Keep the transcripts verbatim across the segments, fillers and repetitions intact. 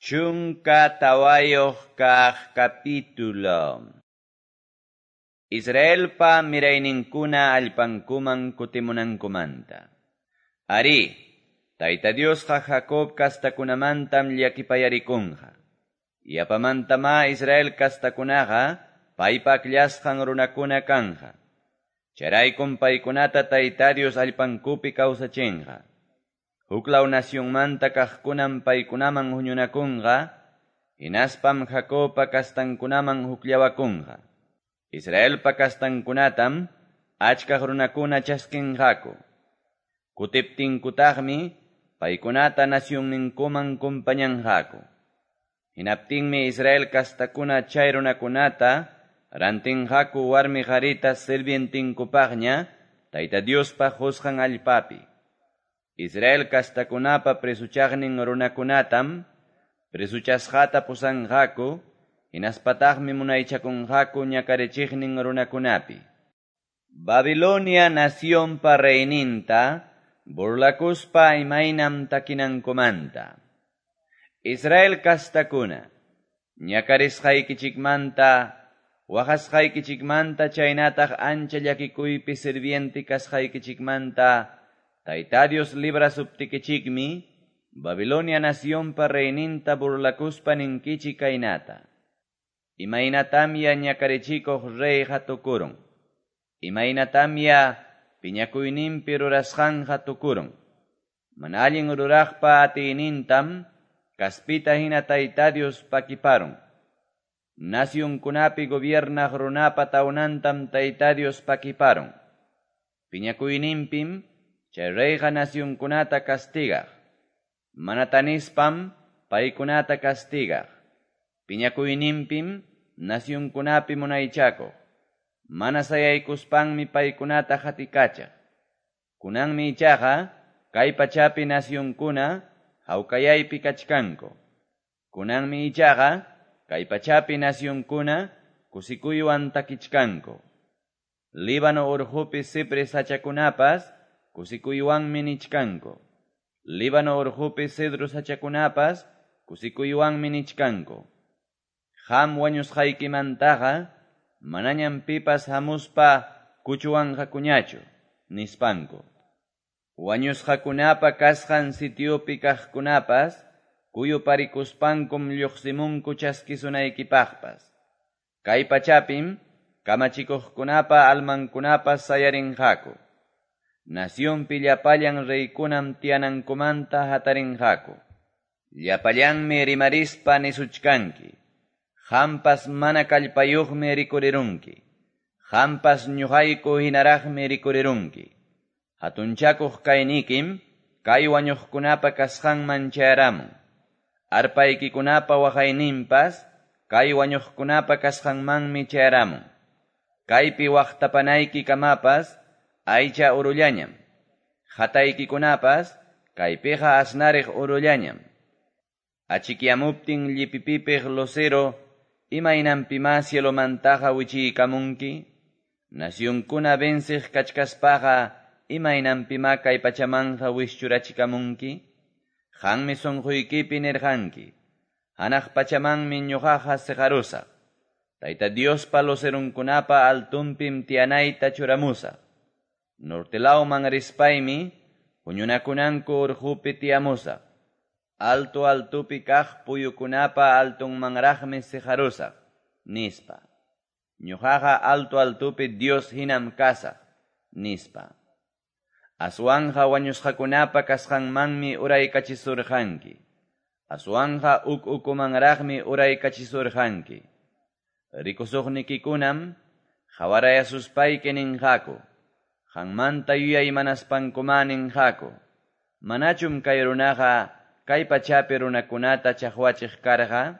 Chunka tawayuq kaq capítulo. Israelpa mirayninkuna allpankuman kutimunankumanta. Arí, Tayta Diosqa Jacob kastakunamantam llakipayarikunqa. Yapamantama Israel kastakunaqa paypa akllasqan runakuna kanja. Chayraykum paykunata Tayta Dios allpankupi kawsachinqa. Huklaw nacionmanta kaqkunam paykunaman huñunakunqa, hinaspam Jacobpa kastankunaman hukllawakunqa. Israelpa kastankunatam achkaq runakuna chaskinqaku. Kutiptinkutaqmi paykunata nacionninkuman kumpañanqaku. Hinaptinmi Israel kastakuna chay runakunata rantinqaku warmi qarita sirvientinkupaqña Tayta Diospa qusqan allpapi. Israel kastakunapa presuchaqnin runakunatam presuchasqata pusanqaku, hinaspataqmi munaychakunqaku ñakarichiqnin runakunapi. Babilonia nacionpa reyninta burlakuspa imaynam takinankumanta. Israel kastakuna, ñakarisqaykichikmanta, waqasqaykichikmanta chaynataq ancha llakikuypi sirviente kasqaykichikmanta, Tayta Dios librasuptikichikmi, Babilonia nacionpa reyninta burlakuspa ninkichik kaynata. Imaynatamya ñakarichikuq reyqa tukurun. Imaynatamya piñakuyninpi rurasqanqa tukurun. Mana allin ruraqpa atiynintam kaspita hina Tayta Dios pakiparun. Nacionkunapi gobiernaq runapa tawnantam Tayta Dios pakiparun. Piñakuyninpim chay reyqa nacionkunata castigaq. Mana tanispam paykunata castigaq. Piñakuyninpim nacionkunapi munaychakuq. Mana sayaykuspanmi paykunata hatikachaq. Kunanmi ichaqa kay pachapi nacionkuna hawkayaypi kachkanku. Kunanmi ichaqa kay pachapi nacionkuna kusikuywan takichkanku. Líbano urqupi cipres sachakunapas kusikuywanmi nichkanku. Líbano urqupi cedro sachakunapas kusikuywanmi nichkanku. Qam wañusqaykimantaqa manañam pipas hamuspa kuchuwanqakuñachu, nispanku. Wañusqakunapa kasqan sitiopi kaqkunapas kuyuparikuspankum lluqsimunku chaskisunaykipaqpas. Kay pachapim kamachikuqkunapa almankunapas sayarinqaku. Nacionpi llapallan reykunam tiyanankumanta hatarinqaku. Llapallanmi rimarispa nisuchkanki. Qampas mana kallpayuqmi rikurirunki. Qampas ñuqayku hinaraqmi rikurirunki. Hatunchakuq kaynikim kay wañuqkunapa kasqanman chayaramun. Arpaykikunapa waqayninpas kay wañuqkunapa kasqanmanmi chayaramun. Kaypi waqtapanayki kamapas aycha urullañam. Hataykikunapas kaypiqa asnariq urullañam. Achikyamuptin llipipipiq lucero imaynanpimá cielomantaqa wichiykamunki. Nacionkuna venciq kachkaspaqa imaynanpimá kay pachamanqa wischurachikamunki. Qanmi sunquykipi nirqanki. Hanaq pachamanmi ñuqaqa siqarusaq. Tayta Diospa lucerunkunapa altunpim tiyanayta churamusaq. Nortelawman rispaymi huñunakunanku urqupi tiyamusaq. Alto altupi kaq puyukunapa altunmanraqmi siqarusaq, nispa. Ñuqaqa alto altupi Dios hinam kasaq, nispa. Aswanja wañusqakunapa kasqanmanmi uraykachisurqanki. Aswanja uk ukumanraqmi uraykachisurqanki. Rikusuqnikikunam qawarayasuspayki ninqaku. Qanmanta yuyaymanaspankumá ninqaku. Manachum kay runaqa kay pachapi runakunata chaqwachiq karqa?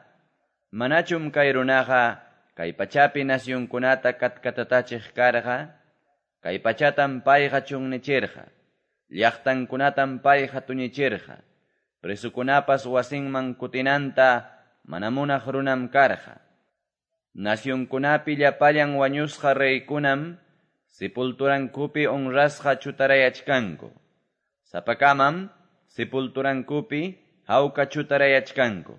Manachum kay runaqa kay pachapi nacionkunata katkatatachiq karqa? Kay pachatam payqa chunnichirqa. Llaqtankunatam payqa tuñichirqa. Presukunapas wasinman kutinanta mana munaq runam karqa. Nacionkunapi llapallan wañusqa reykunam sepulturankupi honrasqa chutarayachkanku. Sapakamam sepulturankupi hawka chutarayachkanku.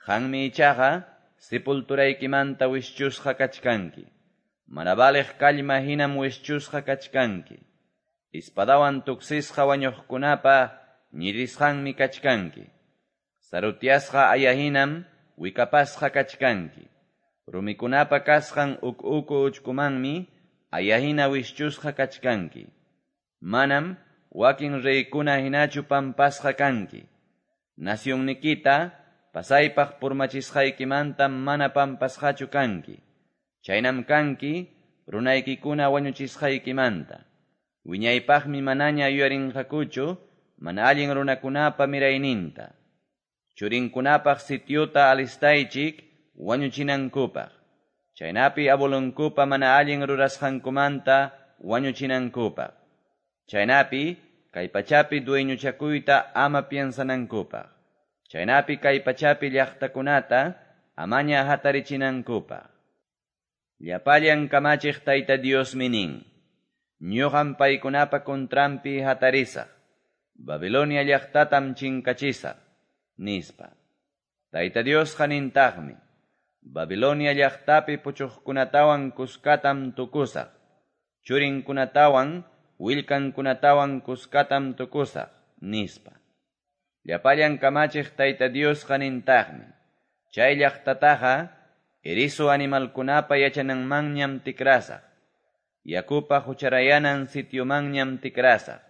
Qanmi ichaqa sepulturaykimanta wischusqa kachkanki. Mana valeq kallma hinam wischusqa kachkanki. Espadawan tuksisqa wañuqkunapa ñirisqanmi kachkanki. Sarutyasqa aya hinam wikapasqa kachkanki. Rumikunapa kasqan uk uku uchkumanmi aya hina wischusqa kachkanki. Manam wakin reykuna hinachu pampasqa kanki. Nacionnikita pasaypaq purmachisqaykimanta mana pampasqachu kanki. Chaynam kanki runaykikuna wañuchisqaykimanta. Wiñaypaqmi manaña yuyarinqakuchu mana allin runakunapa mirayninta. Churinkunapaq sitiota alistaychik wañuchinankupaq. Chaynapi abuelonkupa mana allin rurasqankumanta wañuchinankupaq. Chaynapi kay pachapi dueñochakuyta ama piensanankupaq. Chaynapi kay pachapi llaqtakunata amaña hatarichinankupaq. Llapallan kamachiq Tayta Diosmi nin. Ñuqam paykunapa contranpi hatarisaq. Babilonia llaqtatam chinkachisaq, nispa. Tayta Diosqa nintaqmi. Babilonia llaqtapi puchuqkunatawan kuskatam tukusaq. Churinkunatawan willkankunatawan kuskatam tukusaq, nispa. Llapallan kamachiq Tayta Diosqa nintaqmi. Chay llaqtataqa erizo animalkunapa yachananmanñam tikrasaq. Yakupa hucharayanan sitiomanñam tikrasaq.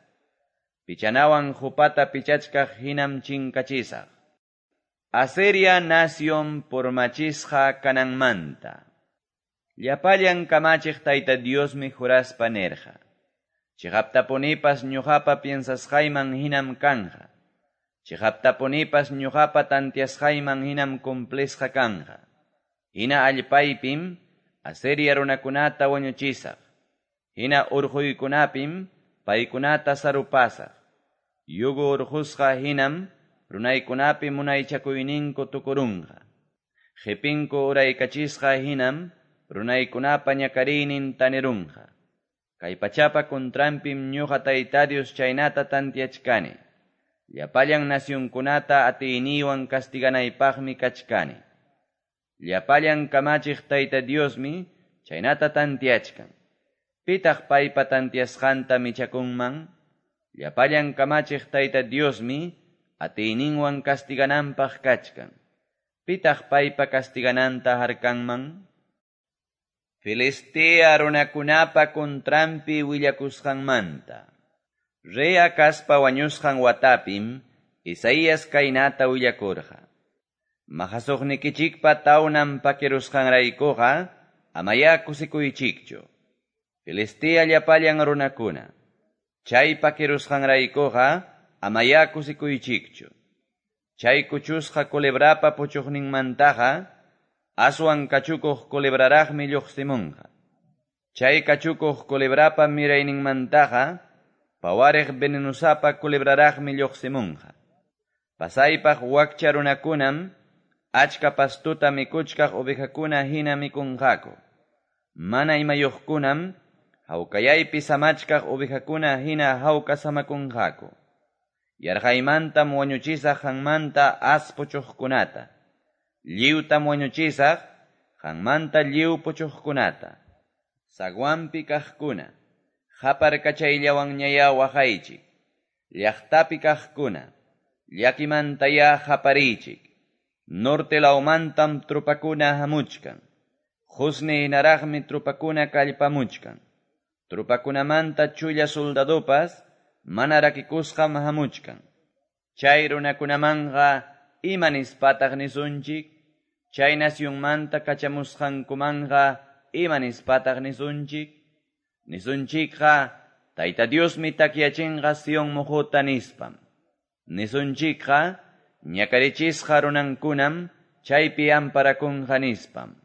Pichanawan hupata pichachkaq hinam chinkachisaq. Asiria nación purmachisqa kananmanta. Llapallan kamachiq Tayta Diosmi juraspa nerqa. Chiqaptapunipas ñuqapa piensasqayman hinam kanja. Chiqaptapunipas ñuqapa tantiasqayman hinam cumplisqa kanja. Hina allpaypim Asiria runakunata wañuchisaq. Hina urquykunapim paykunata sarupasaq. Yugo urqusqa hinam runaykunapi munaychakuyninku tukurunqa. Qipinku uraykachisqa hinam runaykunapa ñakariynin tanirunqa. Kay pachapa contranpim ñuqa Tayta Dios chaynata tantiachkani. Llapallan nacionkunata atiyniywan castiganaypaqmi kachkani. Llapallan kamachiq Tayta Diosmi chaynata tantiachkan. Pitaq paypa tantiasqanta michakunman? Llapallan kamachiq Tayta Diosmi atiyninwan castigananpaq kachkan. Pitaq paypa castigananta harkanman? Filistea runakunapa contranpi willakusqanmanta. Rey Acazpa wañusqan watapim Isaías kaynata willakurqa. Mahasuqnikichikpa tawnan pakirusqanraykuqa amaya kusikuychikchu. Filistea llapallan runakuna. Chay pakirusqanraykuqa amaya kusikuychikchu. Chay kuchusqa culebrapa puchuqninmantaqa aswan kachukuq culebraraqmi lluqsimunqa. Chay kachukuq culebrapa mirayninmantaqa pawariq venenusapa culebraraqmi lluqsimunqa. Pasaypaq wakcha runakunam achka pastuta mikuchkaq ovejakuna hina mikunqaku. Mana imayuqkunam hawkayaypi samachkaq ovejakuna hina hawka samakunqaku. Yarqaymantam wañuchisaq qanmanta as puchuqkunata. Lliwtam wañuchisaq qanmanta lliw puchuqkunata. Zaguanpi kaqkuna, qaparkachayllawanñayá waqaychik. Llaqtapi kaqkuna, llakimantayá qapariychik. Norte lawmantam trupakuna hamuchkan. Qusni hinaraqmi trupakuna kallpamuchkan. Trupakunamanta chulla soldadopas mana rakikusqam hamuchkan. Chay runakunamanqa ima nispataq nisunchik? Chay nacionmanta kachamusqankumanqa ima nispataq nisunchik? Nisunchikqa Tayta Diosmi takyachinqa Sion muhuta nispam. Nisunchikqa ñakarichisqa runankunam chaypi amparakunqa nispam.